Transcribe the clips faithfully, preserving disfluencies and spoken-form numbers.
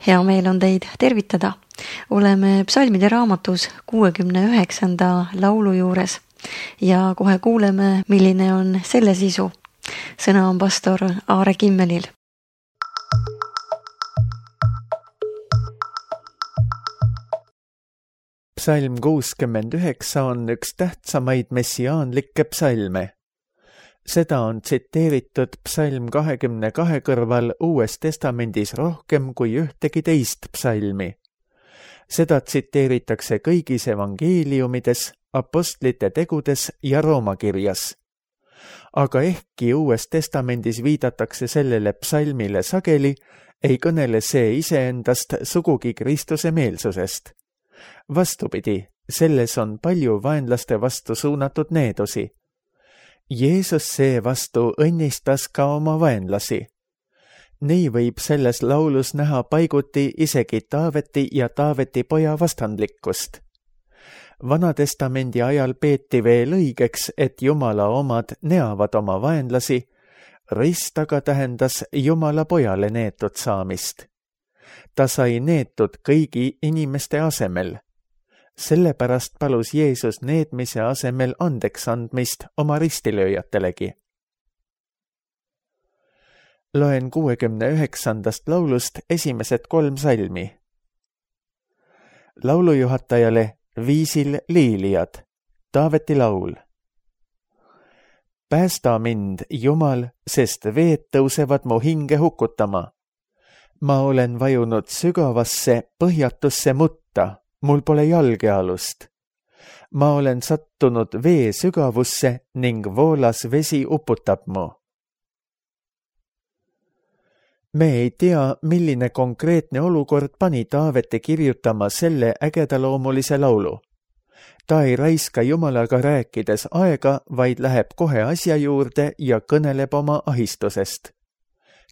Hea meel on teid tervitada. Oleme psalmide raamatus kuuekümne üheksanda laulu juures ja kohe kuuleme, milline on selle sisu. Sõna on pastor Aare Kimmelil. Psalm kuuskümmend üheksa on üks tähtsamaid messiaanlikke psalme. Seda on tsiteeritud psalm kahekümne kahe kõrval Uues Testamendis rohkem kui ühtegi teist psalmi. Seda tsiteeritakse kõigis evangeeliumides, apostlite tegudes ja Roomakirjas. Aga ehkki Uues Testamendis viidatakse sellele psalmile sageli, ei kõnele see iseendast sugugi Kristuse meelsusest. Vastupidi, selles on palju vaenlaste vastu suunatud needusi. Jeesus seevastu õnnistas ka oma vaenlasi. Nii võib selles laulus näha paiguti isegi Taaveti ja Taaveti poja vastandlikkust. Vanatestamendi ajal peeti veel õigeks, et Jumala omad neavad oma vaenlasi, rist aga tähendas Jumala pojale neetud saamist. Ta sai neetud kõigi inimeste asemel. Sellepärast palus Jeesus needmise asemel andeks andmist oma ristilööjatelegi. Loen kuuekümne üheksandast laulust esimesed kolm salmi. Laulujuhatajale viisil liilijad, Taaveti laul. Päästa mind, Jumal, sest veed tõusevad mu hinge hukutama. Ma olen vajunud sügavasse, põhjatusse mutta. Mul pole jalgealust. Ma olen sattunud vee sügavusse ning voolas vesi uputab mu. Me ei tea, milline konkreetne olukord pani Taaveti kirjutama selle ägedaloomulise laulu. Ta ei raiska Jumalaga rääkides aega, vaid läheb kohe asja juurde ja kõneleb oma ahistusest.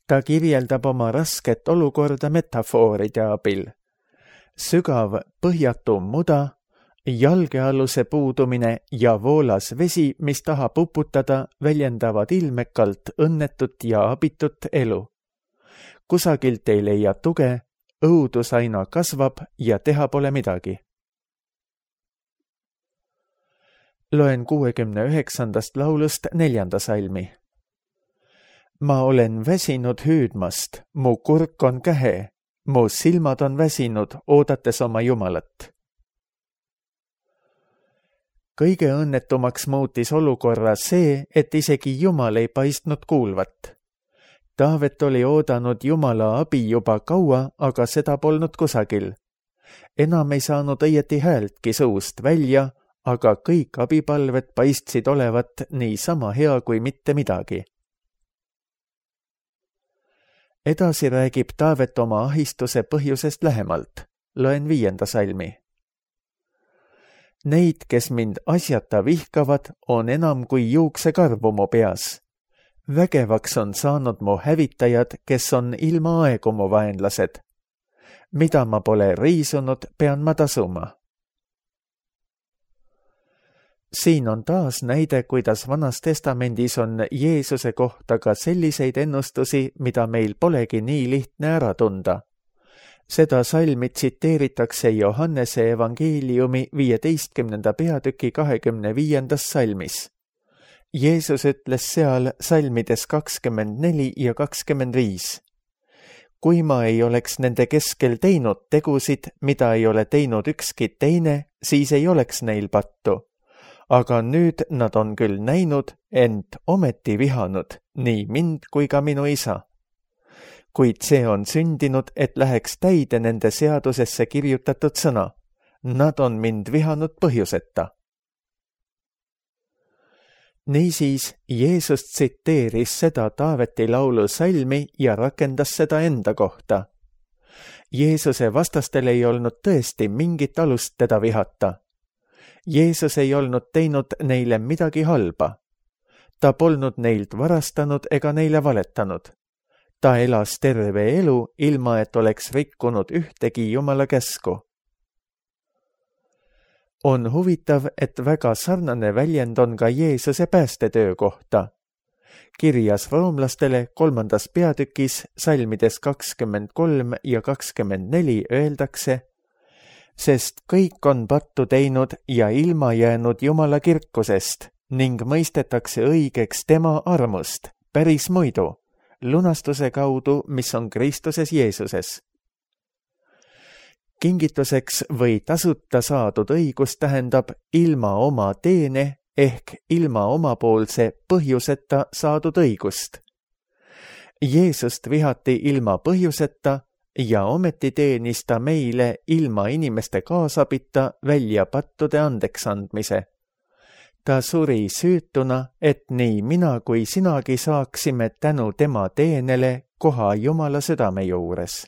Ta kirjeldab oma rasket olukorda metafooride abil. Sügav põhjatu muda, jalgealuse puudumine ja voolas vesi, mis tahab uputada, väljendavad ilmekalt õnnetut ja abitut elu. Kusagilt ei leia tuge, õudus aina kasvab ja teha pole midagi. Loen kuuekümne üheksandast laulust neljanda salmi. Ma olen väsinud hüüdmast, mu kurk on kähe. Mu silmad on väsinud, oodates oma Jumalat. Kõige õnnetumaks muutis olukorra see, et isegi Jumal ei paistnud kuulvat. Taavet oli oodanud Jumala abi juba kaua, aga seda polnud kusagil. Enam ei saanud õieti häältki suust välja, aga kõik abipalved paistsid olevat nii sama hea kui mitte midagi. Edasi räägib Taavet oma ahistuse põhjusest lähemalt. Loen viienda salmi. Neid, kes mind asjata vihkavad, on enam kui juuksekarvu mu peas. Vägevaks on saanud mu hävitajad, kes on ilma aegu mu vaenlased. Mida ma pole riisunud, pean ma tasuma. Siin on taas näide, kuidas Vanas Testamendis on Jeesuse kohta ka selliseid ennustusi, mida meil polegi nii lihtne ära tunda. Seda salmi tsiteeritakse Johannese evangeeliumi viieteistkümnenda peatüki kahekümne viiendas salmis. Jeesus ütles seal salmides kakskümmend neli ja kakskümmend viis. Kui ma ei oleks nende keskel teinud tegusid, mida ei ole teinud ükski teine, siis ei oleks neil pattu. Aga nüüd nad on küll näinud, ent ometi vihanud, nii mind kui ka minu isa. Kuid see on sündinud, et läheks täide nende seadusesse kirjutatud sõna. Nad on mind vihanud põhjuseta. Niisiis, Jeesus tsiteeris seda Taaveti laulu salmi ja rakendas seda enda kohta. Jeesuse vastastel ei olnud tõesti mingit alust teda vihata. Jeesus ei olnud teinud neile midagi halba. Ta polnud neilt varastanud ega neile valetanud. Ta elas terve elu, ilma et oleks rikkunud ühtegi Jumala käsku. On huvitav, et väga sarnane väljend on ka Jeesuse päästetöö kohta. kirjas roomlastele kolmandas peatükis salmides kakskümmend kolm ja kakskümmend neli öeldakse, sest kõik on pattu teinud ja ilma jäänud Jumala kirkusest ning mõistetakse õigeks tema armust päris muidu, lunastuse kaudu, mis on Kristuses Jeesuses. Kingituseks või tasuta saadud õigus tähendab ilma oma teene ehk ilma omapoolse põhjuseta saadud õigust. Jeesust vihati ilma põhjuseta ja ometi teenis ta meile ilma inimeste kaasabita välja pattude andeks andmise. Ta suri süütuna, et nii mina kui sinagi saaksime tänu tema teenele koha Jumala südame juures.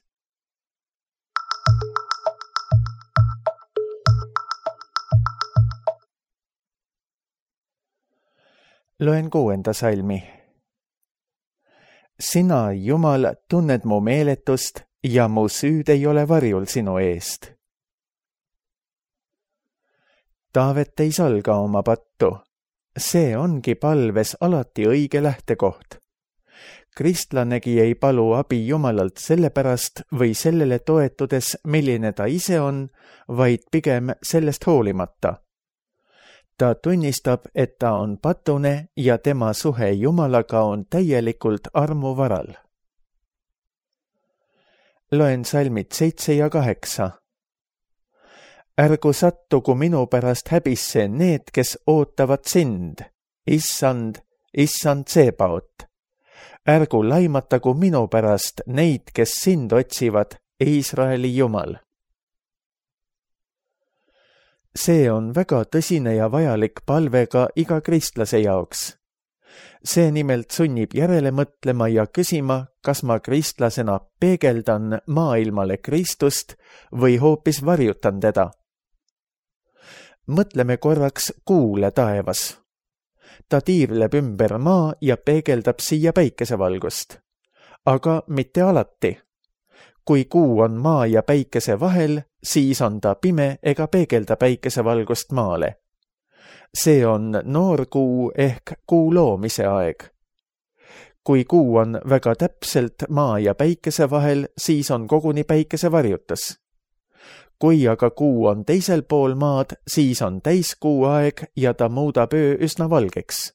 Loen kuuenda salmi. Sina, Jumal, tunned mu meeletust ja mu süüd ei ole varjul sinu eest. Taavet ei salga oma pattu. See ongi palves alati õige lähtekoht. Kristlanegi ei palu abi Jumalalt sellepärast või sellele toetudes, milline ta ise on, vaid pigem sellest hoolimata. Ta tunnistab, et ta on patune ja tema suhe Jumalaga on täielikult armu varal. Loen salmid seitse ja kaheksa. Ärgu sattugu minu pärast häbisse need, kes ootavad sind, issand, issand Tsebaot. Ärgu laimatagu minu pärast neid, kes sind otsivad, Iisraeli Jumal. See on väga tõsine ja vajalik palve ka iga kristlase jaoks. See nimelt sunnib järele mõtlema ja küsima, kas ma kristlasena peegeldan maailmale Kristust või hoopis varjutan teda. Mõtleme korraks kuule taevas. Ta tiirleb ümber maa ja peegeldab siia päikesevalgust. Aga mitte alati. Kui kuu on maa ja päikese vahel, siis on ta pime ega peegelda päikesevalgust maale. See on noor kuu ehk kuu loomise aeg. Kui kuu on väga täpselt maa ja päikese vahel, siis on koguni päikese varjutus. Kui aga kuu on teisel pool maad, siis on täiskuu aeg ja ta muudab öö üsna valgeks.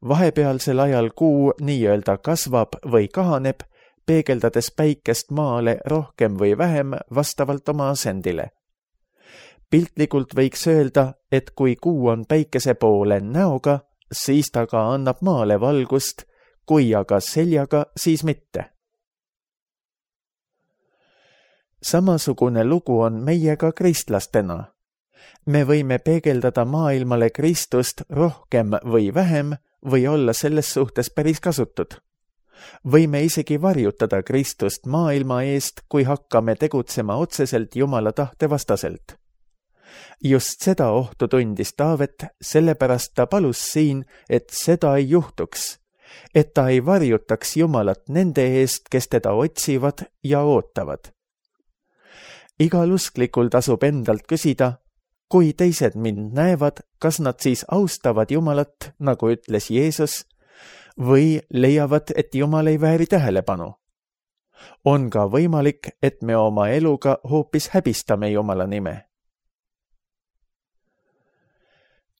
Vahepealsel ajal kuu nii-öelda kasvab või kahaneb, peegeldades päikest maale rohkem või vähem vastavalt oma asendile. Piltlikult võiks öelda, et kui kuu on päikese poole näoga, siis ta ka annab maale valgust, kui aga seljaga, siis mitte. Samasugune lugu on meiega kristlastena. Me võime peegeldada maailmale Kristust rohkem või vähem või olla selles suhtes päris kasutud. Võime isegi varjutada Kristust maailma eest, kui hakkame tegutsema otseselt Jumala tahte vastaselt. Just seda ohtu tundis Taavet, sellepärast ta palus siin, et seda ei juhtuks, et ta ei varjutaks Jumalat nende eest, kes teda otsivad ja ootavad. Igal usklikul tasub endalt küsida, kui teised mind näevad, kas nad siis austavad Jumalat, nagu ütles Jeesus, või leiavad, et Jumal ei vääri tähelepanu. On ka võimalik, et me oma eluga hoopis häbistame Jumala nime.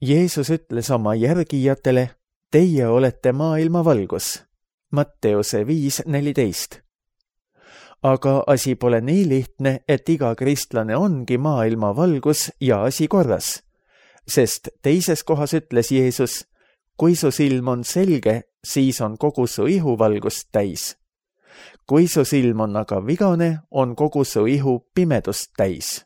Jeesus ütles oma järgijatele, teie olete maailma valgus. Matteuse viis neliteist. Aga asi pole nii lihtne, et iga kristlane ongi maailma valgus ja asi korras. Sest teises kohas ütles Jeesus, kui su silm on selge, siis on kogu su ihu valgust täis. Kui su silm on aga vigane, on kogu su ihu pimedust täis.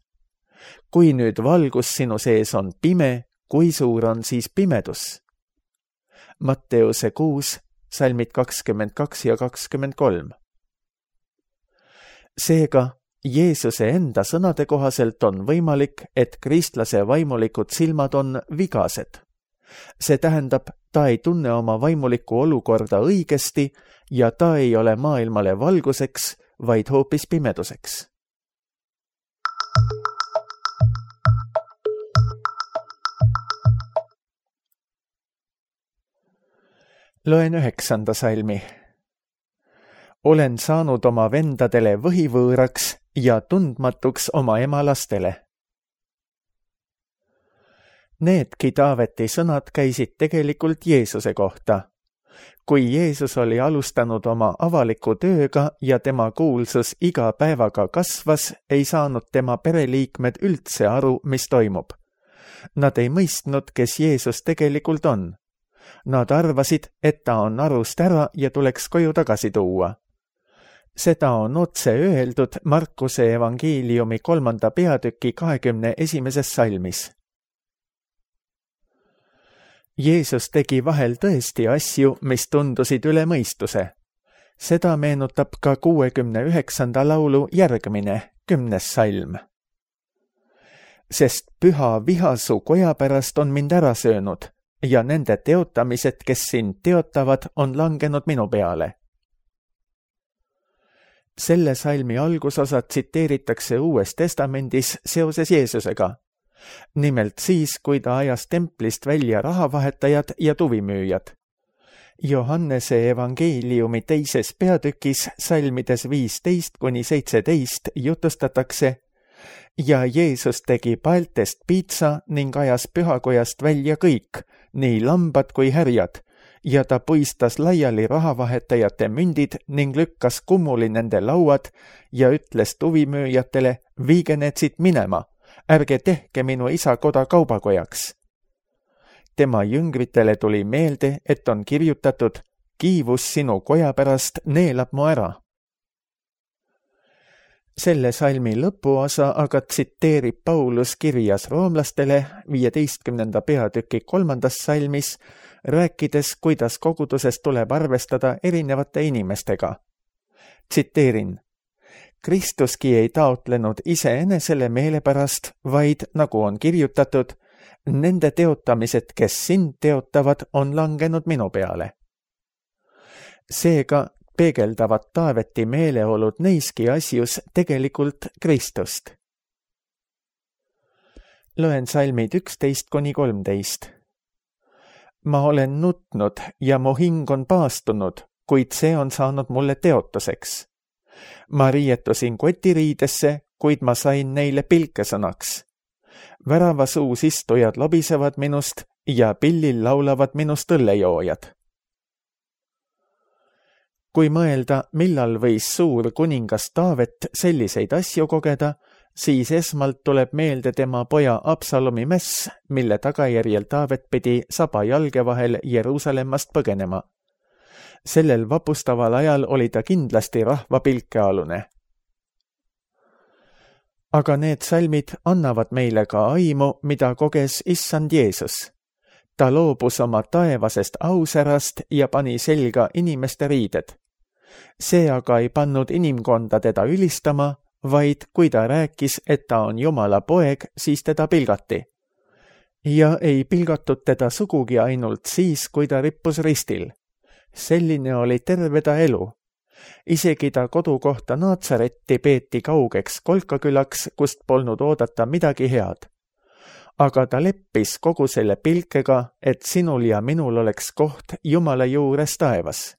Kui nüüd valgus sinu sees on pime, kui suur on siis pimedus? Matteuse kuus, salmid kakskümmend kaks ja kakskümmend kolm. Seega, Jeesuse enda sõnade kohaselt on võimalik, et kristlase vaimulikud silmad on vigased. See tähendab, ta ei tunne oma vaimulikku olukorda õigesti ja ta ei ole maailmale valguseks, vaid hoopis pimeduseks. Loen üheksanda salmi. Olen saanud oma vendadele võhivõõraks ja tundmatuks oma ema lastele. Needki Taaveti sõnad käisid tegelikult Jeesuse kohta. Kui Jeesus oli alustanud oma avaliku tööga ja tema kuulsus iga päevaga kasvas, ei saanud tema pereliikmed üldse aru, mis toimub. Nad ei mõistnud, kes Jeesus tegelikult on. Nad arvasid, et ta on arust ära ja tuleks koju tagasi tuua. Seda on otse öeldud Markuse evangeeliumi kolmanda peatüki kahekümne esimeses salmis. Jeesus tegi vahel tõesti asju, mis tundusid üle mõistuse. Seda meenutab ka kuuekümne üheksanda laulu järgmine, kümnes salm. Sest püha viha su koja pärast on mind ära söönud ja nende teotamised, kes sind teotavad, on langenud minu peale. Selle salmi algusosa tsiteeritakse Uues Testamendis seoses Jeesusega. Nimelt siis, kui ta ajas templist välja rahavahetajad ja tuvimüüjad. Johannese evangeeliumi teises peatükis salmides viisteist kuni seitseteist jutustatakse ja Jeesus tegi paeltest piitsa ning ajas pühakojast välja kõik, nii lambad kui härjad, ja ta puistas laiali rahavahetajate mündid ning lükkas kummuli nende lauad ja ütles tuvimüüjatele, viige need siit minema. Ärge tehke minu isa koda kaubakojaks. Tema jüngritele tuli meelde, et on kirjutatud, kiivus sinu koja pärast neelab mu ära. Selle salmi lõpuosa aga tsiteerib Paulus kirjas roomlastele viieteistkümnenda peatüki kolmandas salmis, rääkides, kuidas koguduses tuleb arvestada erinevate inimestega. Tsiteerin. Kristuski ei taotlenud iseenesele meele pärast, vaid, nagu on kirjutatud, nende teotamised, kes sind teotavad, on langenud minu peale. Seega peegeldavad Taaveti meeleolud neiski asjus tegelikult Kristust. Loen salmid üksteist kuni kolmteist. Ma olen nutnud ja mu hing on paastunud, kuid see on saanud mulle teotuseks. Ma riietusin kotiriidesse, kuid ma sain neile pilkesõnaks. Väravasuus istujad lobisevad minust ja pillil laulavad minust õllejoojad. Kui mõelda, millal võis suur kuningas Taavet selliseid asju kogeda, siis esmalt tuleb meelde tema poja Absalomi mäss, mille tagajärjel Taavet pidi saba jalge vahel Jeruusalemmast põgenema. Sellel vapustaval ajal oli ta kindlasti rahva pilkealune. Aga need salmid annavad meile ka aimu, mida koges issand Jeesus. Ta loobus oma taevasest ausärast ja pani selga inimeste riided. See aga ei pannud inimkonda teda ülistama, vaid kui ta rääkis, et ta on Jumala poeg, siis teda pilgati. Ja ei pilgatud teda sugugi ainult siis, kui ta rippus ristil. Selline oli terve ta elu. Isegi ta kodukohta Naatsaretti peeti kaugeks kolkakülaks, kust polnud oodata midagi head. Aga ta leppis kogu selle pilkega, et sinul ja minul oleks koht Jumala juures taevas.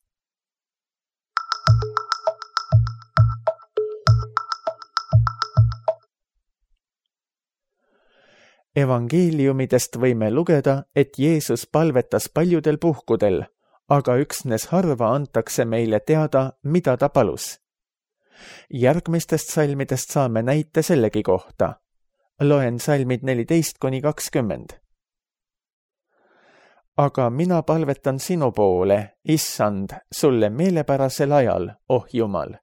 Evangeeliumidest võime lugeda, et Jeesus palvetas paljudel puhkudel, aga üksnes harva antakse meile teada, mida ta palus. Järgmistest salmidest saame näite sellegi kohta. Loen salmid neliteist kuni kakskümmend. Aga mina palvetan sinu poole, issand, sulle meelepärasel ajal, oh Jumal.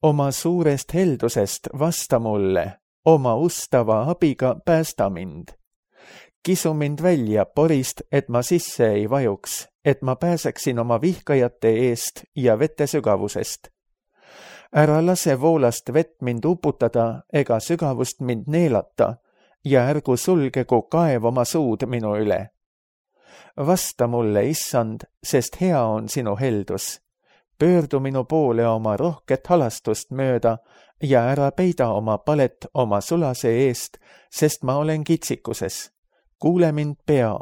Oma suurest heldusest vasta mulle, oma ustava abiga päästa mind. Kisu mind välja porist, et ma sisse ei vajuks, et ma pääseksin oma vihkajate eest ja vete sügavusest. Ära lase voolast vett mind uputada ega sügavust mind neelata ja ärgu sulgegu kaev oma suud minu üle. Vasta mulle, issand, sest hea on sinu heldus. Pöördu minu poole oma rohket halastust mööda ja ära peida oma palet oma sulase eest, sest ma olen kitsikuses. Kuule mind pea.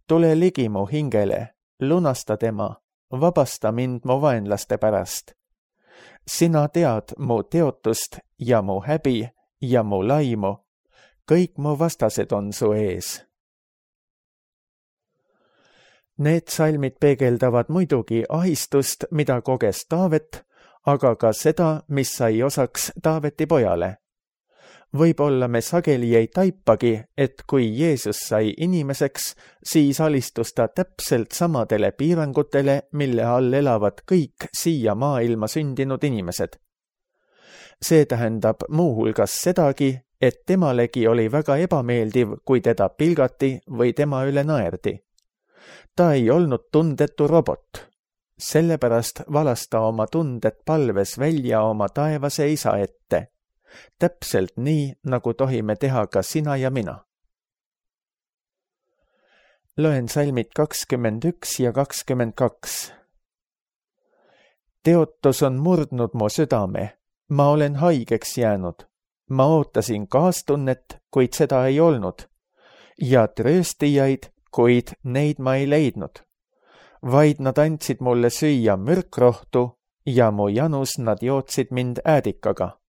Tule ligi mu hingele, lunasta tema, vabasta mind mu vaenlaste pärast. Sina tead mu teotust ja mu häbi ja mu laimu, kõik mu vastased on su ees. Need salmid peegeldavad muidugi ahistust, mida koges Taavet, aga ka seda, mis sai osaks Taaveti pojale. Võib-olla me sageli ei taipagi, et kui Jeesus sai inimeseks, siis alistus ta täpselt samadele piirangutele, mille all elavad kõik siia maailma sündinud inimesed. See tähendab muuhulgas sedagi, et temalegi oli väga ebameeldiv, kui teda pilgati või tema üle naerdi. Ta ei olnud tundetu robot. Sellepärast valas ta oma tunded palves välja oma taevase isa ette. Täpselt nii, nagu tohime teha ka sina ja mina. Loen salmid kakskümmend üks ja kakskümmend kaks. Teotus on murdnud mu südame. Ma olen haigeks jäänud. Ma ootasin kaastunnet, kuid seda ei olnud. Ja trööstijaid, kuid neid ma ei leidnud. Vaid nad andsid mulle süüa mürkrohtu ja mu janus nad jootsid mind äädikaga.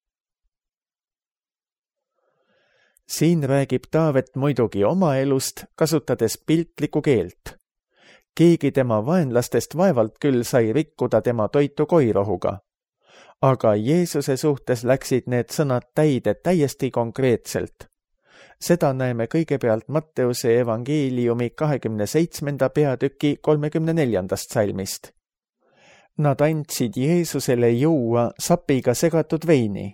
Siin räägib Taavet muidugi oma elust, kasutades piltlikku keelt. Keegi tema vaenlastest vaevalt küll sai rikkuda tema toitu koirohuga. Aga Jeesuse suhtes läksid need sõnad täide täiesti konkreetselt. Seda näeme kõigepealt Matteuse evangeeliumi kahekümne seitsmenda peatüki kolmekümne neljandast salmist. Nad andsid Jeesusele juua sapiga segatud veini.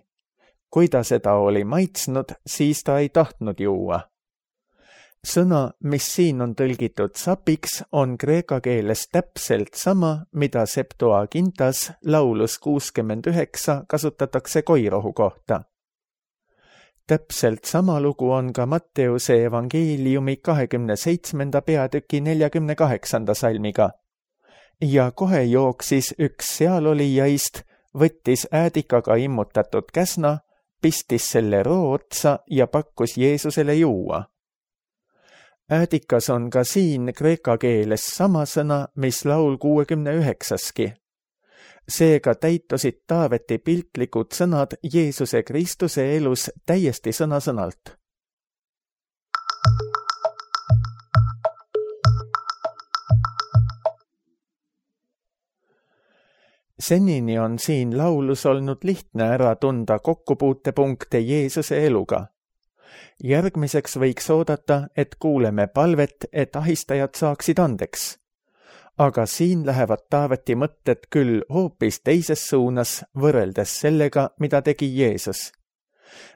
Kui ta seda oli maitsnud, siis ta ei tahtnud juua. Sõna, mis siin on tõlgitud sapiks, on kreeka keeles täpselt sama, mida Septuagintas laulus kuuskümmend üheksa kasutatakse koirohu kohta. Täpselt sama lugu on ka Matteuse evangeeliumi kahekümne seitsmenda peatüki neljakümne kaheksanda salmiga. Ja kohe jooksis üks sealolijaist, võttis äädikaga immutatud käsna, pistis selle roo otsa ja pakkus Jeesusele juua. Äädikas on ka siin kreeka keeles sama sõna, mis laul kuuekümne üheksaski. Seega täitusid Taaveti piltlikud sõnad Jeesuse Kristuse elus täiesti sõna-sõnalt. Senini on siin laulus olnud lihtne ära tunda kokkupuutepunkte Jeesuse eluga. Järgmiseks võiks oodata, et kuuleme palvet, et ahistajad saaksid andeks. Aga siin lähevad Taaveti mõtted küll hoopis teises suunas võrreldes sellega, mida tegi Jeesus.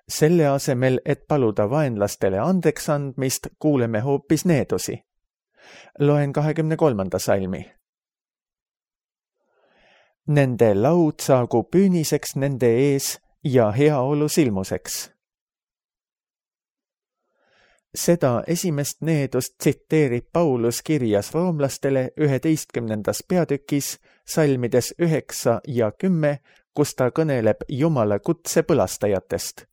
Selle asemel, et paluda vaenlastele andeks andmist, kuuleme hoopis needusi. Loen kahekümne kolmanda salmi. Nende laud saagu püüniseks nende ees ja heaolu silmuseks. Seda esimest needust tsiteerib Paulus kirjas roomlastele üheteistkümnendas peatükis, salmides üheksa ja kümme, kus ta kõneleb Jumala kutse põlastajatest.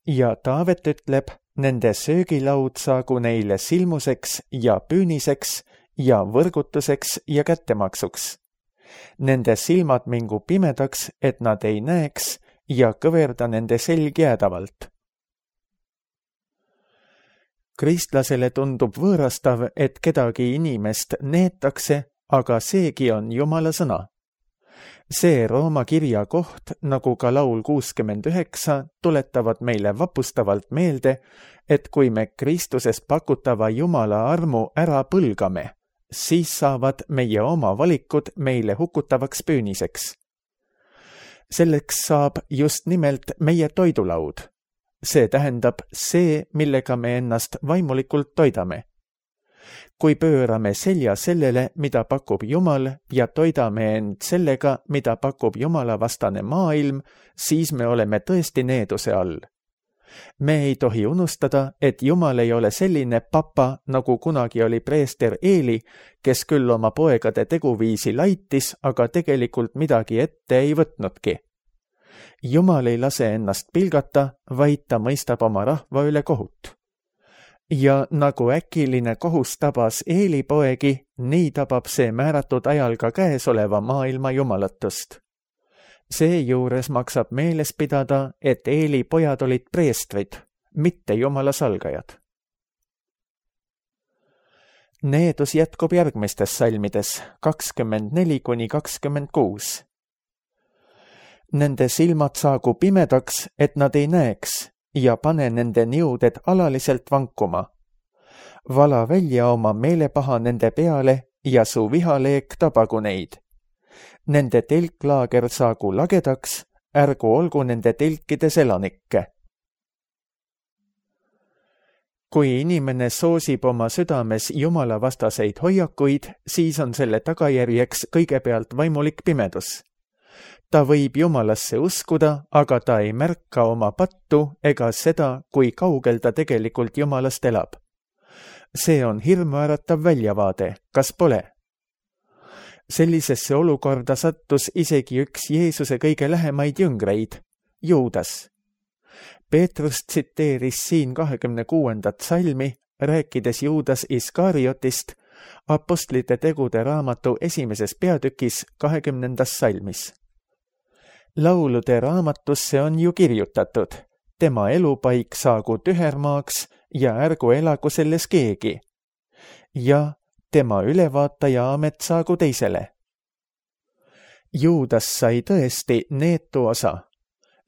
Ja Taavet ütleb, nende söögilaud saagu neile silmuseks ja püüniseks ja võrgutuseks ja kättemaksuks. Nende silmad mingu pimedaks, et nad ei näeks ja kõverda nende selg jäädavalt. Kristlasele tundub võõrastav, et kedagi inimest neetakse, aga seegi on Jumala sõna. See Rooma kirja koht, nagu ka laul kuuskümmend üheksa, tuletavad meile vapustavalt meelde, et kui me Kristuses pakutava Jumala armu ära põlgame, siis saavad meie oma valikud meile hukutavaks püüniseks. Selleks saab just nimelt meie toidulaud. See tähendab see, millega me ennast vaimulikult toidame. Kui pöörame selja sellele, mida pakub Jumal, ja toidame end sellega, mida pakub Jumala vastane maailm, siis me oleme tõesti needuse all. Me ei tohi unustada, et Jumal ei ole selline papa, nagu kunagi oli preester Eeli, kes küll oma poegade teguviisi laitis, aga tegelikult midagi ette ei võtnudki. Jumal ei lase ennast pilgata, vaid ta mõistab oma rahva üle kohut. Ja nagu äkiline kohus tabas Eeli poegi, nii tabab see määratud ajal ka käesoleva maailma jumalatust. Seejuures maksab meeles pidada, et Eeli pojad olid preestrid, mitte jumala salgajad. Needus jätkub järgmistes salmides kakskümmend neli kuni kakskümmend kuus. Nende silmad saagu pimedaks, et nad ei näeks, ja pane nende niuded alaliselt vankuma. Vala välja oma meelepaha nende peale ja su vihaleek tabagu neid. Nende telklaager saagu lagedaks, ärgu olgu nende telkides elanikke. Kui inimene soosib oma südames jumala vastaseid hoiakuid, siis on selle tagajärjeks kõigepealt vaimulik pimedus. Ta võib jumalasse uskuda, aga ta ei märka oma pattu ega seda, kui kaugel ta tegelikult jumalast elab. See on hirmuäratav väljavaade, kas pole? Sellisesse olukorda sattus isegi üks Jeesuse kõige lähemaid jüngreid, Juudas. Peetrus tsiteeris siin kahekümne kuuendat salmi, rääkides Juudas Iskariotist, apostlite tegude raamatu esimeses peatükis kahekümnendas salmis. Laulude raamatusse on ju kirjutatud, tema elupaik saagu tühermaaks ja ärgu elagu selles keegi. Ja tema ülevaataja amet saagu teisele. Juudas sai tõesti neetu osa.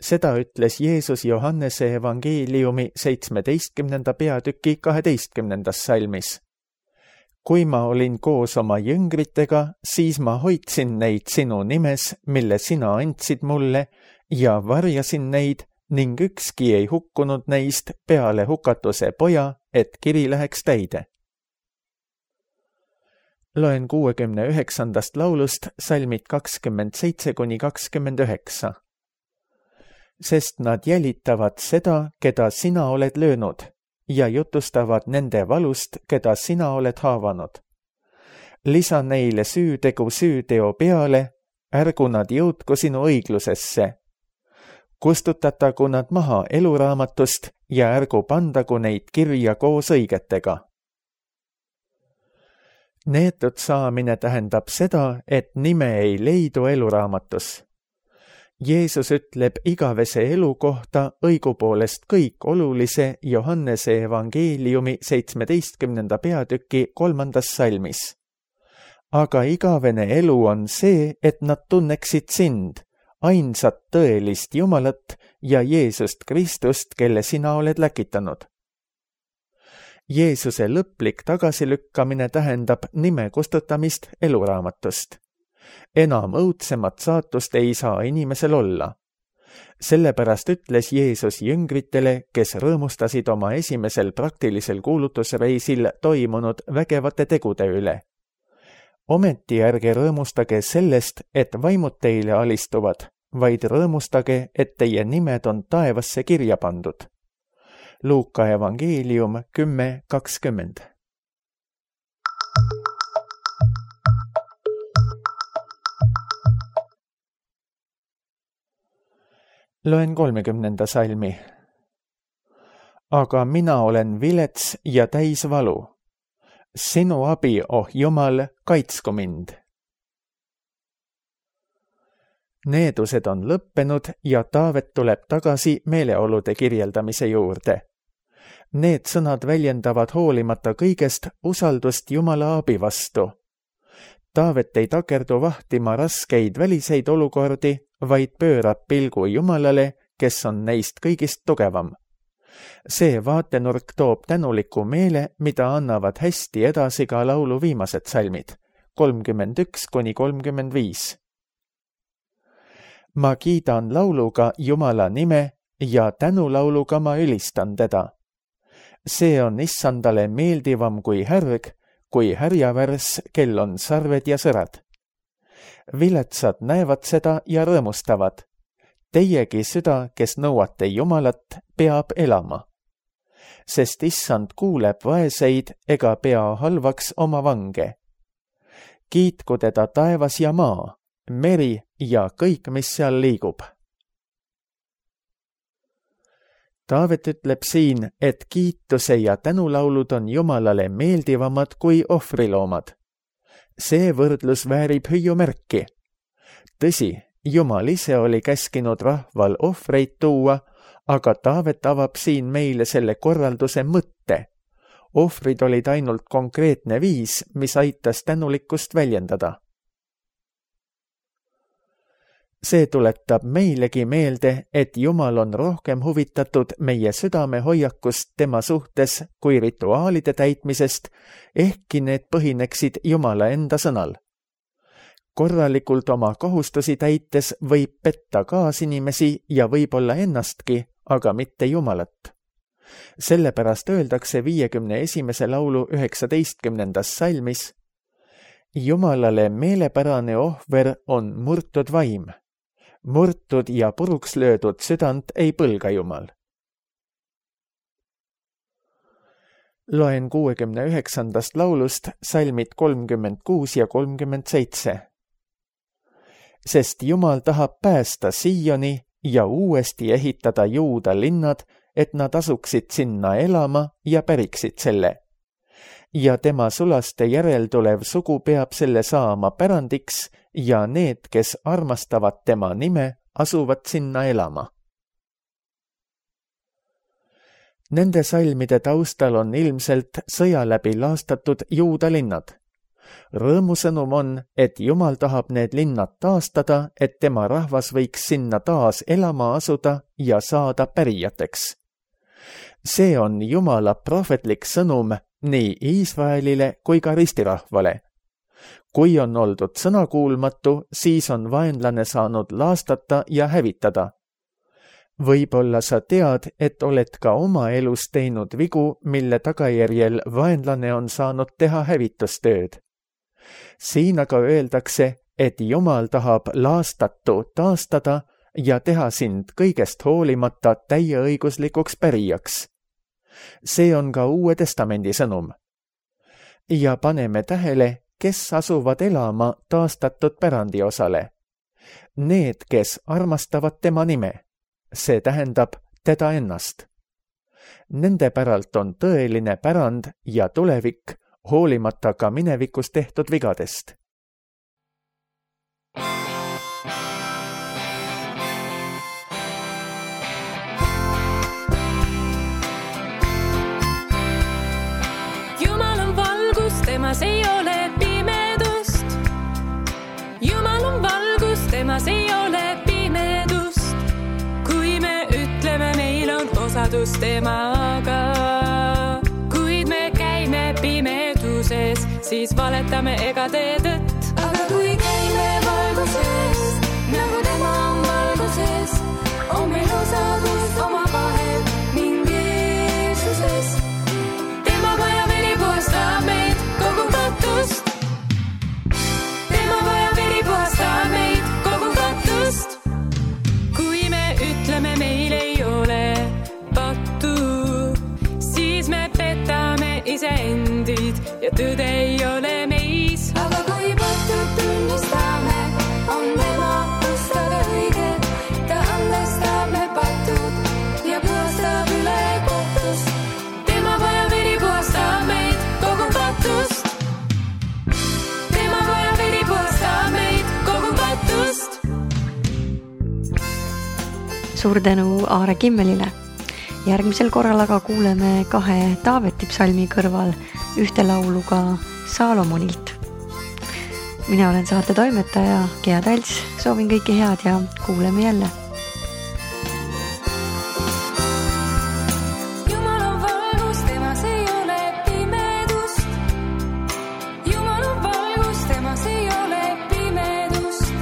Seda ütles Jeesus Johannese evangeeliumi seitsmeteistkümnenda peatüki kaheteistkümnendas salmis. Kui ma olin koos oma jüngritega, siis ma hoidsin neid sinu nimes, mille sina andsid mulle, ja varjasin neid, ning ükski ei hukkunud neist peale hukatuse poja, et kiri läheks täide. Loen kuuekümne üheksandast laulust salmid kakskümmend seitse kuni kakskümmend üheksa. Sest nad jälitavad seda, keda sina oled löönud, ja jutustavad nende valust, keda sina oled haavanud. Lisa neile süütegu süüteo peale, ärgu nad jõudku sinu õiglusesse. Kustutatagu nad maha eluraamatust ja ärgu pandagu neid kirja koos õigetega. Neetud saamine tähendab seda, et nime ei leidu eluraamatus. Jeesus ütleb igavese elu kohta õigupoolest kõik olulise Johannese evangeeliumi seitsmeteistkümnenda peatüki kolmandas salmis. Aga igavene elu on see, et nad tunneksid sind, ainsat tõelist Jumalat ja Jeesust Kristust, kelle sina oled läkitanud. Jeesuse lõplik tagasilükkamine tähendab nime kustutamist eluraamatust. Enam õudsemat saatust ei saa inimesel olla. Sellepärast ütles Jeesus jüngritele, kes rõõmustasid oma esimesel praktilisel kuulutusreisil toimunud vägevate tegude üle. Ometi ärge rõõmustage sellest, et vaimud teile alistuvad, vaid rõõmustage, et teie nimed on taevasse kirja pandud. Luuka evangeelium kümme kakskümmend. Loen kolmekümnenda salmi. Aga mina olen vilets ja täis valu. Sinu abi, oh Jumal, kaitsku mind. Needused on lõppenud ja Taavet tuleb tagasi meeleolude kirjeldamise juurde. Need sõnad väljendavad hoolimata kõigest usaldust Jumala abi vastu. Taavet ei takerdu vahtima raskeid väliseid olukordi, vaid pöörab pilgu Jumalale, kes on neist kõigist tugevam. See vaatenurk toob tänuliku meele, mida annavad hästi edasi ka laulu viimased salmid, kolmkümmend üks kuni kolmkümmend viis. Ma kiidan lauluga Jumala nime ja tänulauluga ma ülistan teda. See on issandale meeldivam kui härg, kui härjavärss, kel on sarved ja sõrad. Viletsad näevad seda ja rõõmustavad. Teiegi süda, kes nõuate Jumalat, peab elama. Sest issand kuuleb vaeseid ega pea halvaks oma vange. Kiitku teda taevas ja maa, meri ja kõik, mis seal liigub. Taavet ütleb siin, et kiituse ja tänulaulud on Jumalale meeldivamad kui ohvriloomad. See võrdlus väärib hüüumärki. Tõsi, Jumal ise oli käskinud rahval ohvreid tuua, aga Taavet avab siin meile selle korralduse mõtte. Ohvrid olid ainult konkreetne viis, mis aitas tänulikkust väljendada. See tuletab meilegi meelde, et Jumal on rohkem huvitatud meie südame hoiakust tema suhtes kui rituaalide täitmisest, ehkki need põhineksid Jumala enda sõnal. Korralikult oma kohustusi täites võib petta kaasinimesi ja võib-olla ennastki, aga mitte Jumalat. Sellepärast öeldakse viiekümne esimese laulu üheksateistkümnendas salmis: Jumalale meelepärane ohver on murtud vaim. Murtud ja puruks löödud südant ei põlga Jumal. Loen kuuekümne üheksandast laulust salmid kolmkümmend kuus ja kolmkümmend seitse. Sest Jumal tahab päästa Sioni ja uuesti ehitada Juuda linnad, et nad asuksid sinna elama ja päriksid selle. Ja tema sulaste järeltulev sugu peab selle saama pärandiks ja need, kes armastavad tema nime, asuvad sinna elama. Nende salmide taustal on ilmselt sõja läbi laastatud Juuda linnad. Rõõmusõnum on, et Jumal tahab need linnad taastada, et tema rahvas võiks sinna taas elama asuda ja saada pärijateks. See on Jumala prohvetlik sõnum nii Iisraelile kui ka ristirahvale. Kui on oldud sõnakuulmatu, siis on vaenlane saanud laastata ja hävitada. Võib-olla sa tead, et oled ka oma elus teinud vigu, mille tagajärjel vaenlane on saanud teha hävitustööd. Siin aga öeldakse, et Jumal tahab laastatu taastada ja teha sind kõigest hoolimata täieõiguslikuks pärijaks. See on ka Uue Testamendi sõnum. Ja paneme tähele, kes asuvad elama taastatud pärandi osale. Need, kes armastavad tema nime, see tähendab teda ennast. Nende päralt on tõeline pärand ja tulevik, hoolimata ka minevikus tehtud vigadest. Jumal on valgus, temas ei ole pimedust. Jumal on valgus, temas ei ole pimedust. Kui me ütleme, meil on osadus temaga, kuid me käime pimeduses, siis valetame ega tee tõtt. Aga kui käime valguses, nagu tema on valguses, on meil osadus oma vahel ning Jeesuses. Tema vaja veri puhastab meid kogu kattust. Tema vaja veri puhastab meid kogu kattust. Kui me ütleme, meil ei ole pattu, siis me petame iseendid ja tõde ei ole meis. Aga kui pattud tunnistame, on tema ustada õige. Ta andestab me patud ja puhastab üle kohtust. Tema vaja veri puhastab meid kogu kattust. Tema vaja veri puhastab meid kogu kattust. Suur tänu Aare Kimmelile. Järgmisel korral aga kuuleme kahe Taaveti psalmi kõrval ühte laulu ka Saalomonilt. Mina olen saate toimetaja Gea Talts, soovin kõike head ja kuuleme jälle. Jumal on valgus, temas ei ole pimedust. Jumal on valgus, temas ei ole pimedust.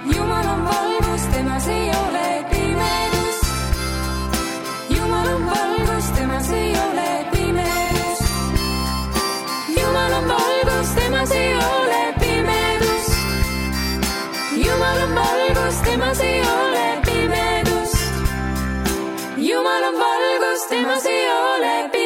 Jumal on valgus, temas ei ole pimedust. Jumal on valgus, temas ei ole pimedust. Jumal on valgus, temas ei ole pimedust. Jumal on valgus, temas ei ole pimedust. Jumal on valgus, temas ei ole pimedust.